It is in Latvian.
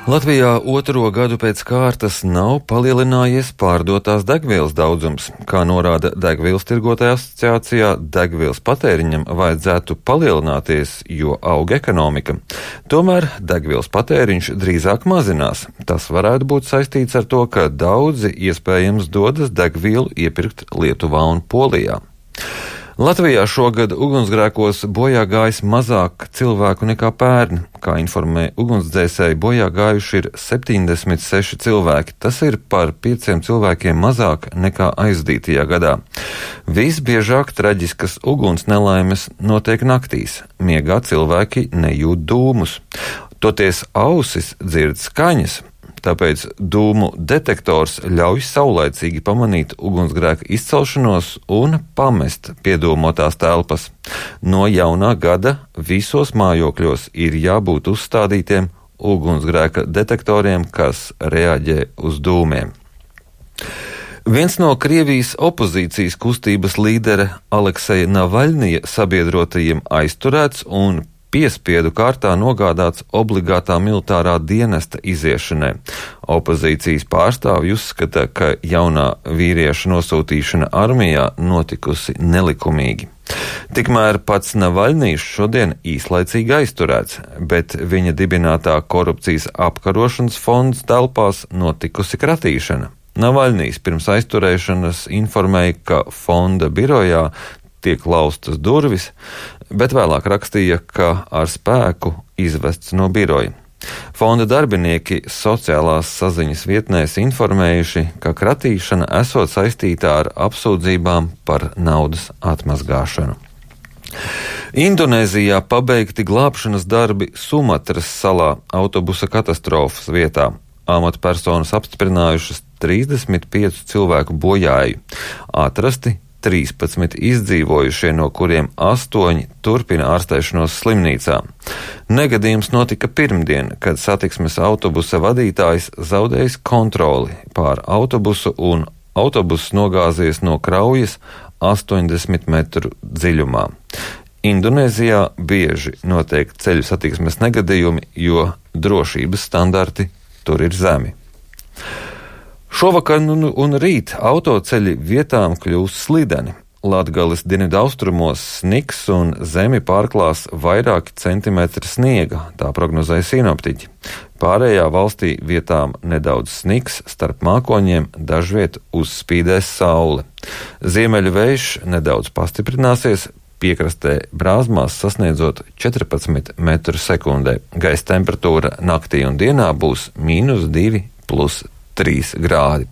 Latvijā otro gadu pēc kārtas nav palielinājies pārdotās degvielas daudzums. Kā norāda Degvielas tirgotāju asociācijā, degvielas patēriņam vajadzētu palielināties, jo aug ekonomika. Tomēr degvielas patēriņš drīzāk mazinās. Tas varētu būt saistīts ar to, ka daudzi iespējams dodas degvielu iepirkt Lietuvā un Polijā. Latvijā šogad ugunsgrēkos bojā gājis mazāk cilvēku nekā pērn. Kā informē ugunsdzēsēji, bojā gājuši ir 76 cilvēki. Tas ir par 5 cilvēkiem mazāk nekā aizdītajā gadā. Visbiežāk traģiskas uguns nelaimes notiek naktīs. Miegā cilvēki nejūt dūmus. Toties ausis dzird skaņas. Tāpēc dūmu detektors ļauj saulaicīgi pamanīt ugunsgrēka izcelšanos un pamest piedūmotās telpas. No jaunā gada visos mājokļos ir jābūt uzstādītiem ugunsgrēka detektoriem, kas reaģē uz dūmiem. Viens no Krievijas opozīcijas kustības līdera Alekseja Navaļnija sabiedrotajiem aizturēts un piespiedu kārtā nogādāts obligātā militārā dienesta iziešanai. Opozīcijas pārstāvji uzskata, ka jaunā vīrieša nosūtīšana armijā notikusi nelikumīgi. Tikmēr pats Navaļnijs šodien īslaicīgi aizturēts, bet viņa dibinātā korupcijas apkarošanas fonds telpās notikusi kratīšana. Navaļnijs pirms aizturēšanas informēja, ka fonda birojā tiek laustas durvis, bet vēlāk rakstīja, ka ar spēku izvests no biroja. Fonda darbinieki sociālās saziņas vietnēs informējuši, ka kratīšana esot saistītā ar apsūdzībām par naudas atmazgāšanu. Indonēzijā pabeigti glābšanas darbi Sumatras salā autobusa katastrofas vietā. Amatpersonas apstiprinājušas 35 cilvēku bojāju. Atrasti 13 izdzīvojušie, no kuriem 8 turpina ārstēšanos slimnīcā. Negadījums notika pirmdien, kad satiksmes autobusa vadītājs zaudējis kontroli pār autobusu un autobuss nogāzies no kraujas 80 metru dziļumā. Indonēzijā bieži notiek ceļu satiksmes negadījumi, jo drošības standarti tur ir zemi. Šovakar un rīt autoceļi vietām kļūs slideni. Latgales dienvidaustrumos sniks un zemi pārklās vairāki centimetri sniega, tā prognozēja sinoptiķi. Pārējā valstī vietām nedaudz sniks, starp mākoņiem dažviet uzspīdēs saule. Ziemeļu vējš nedaudz pastiprināsies, piekrastē brāzmās sasniedzot 14 metru sekundē. Gaisa temperatūra naktī un dienā būs -2 + 3 grādi.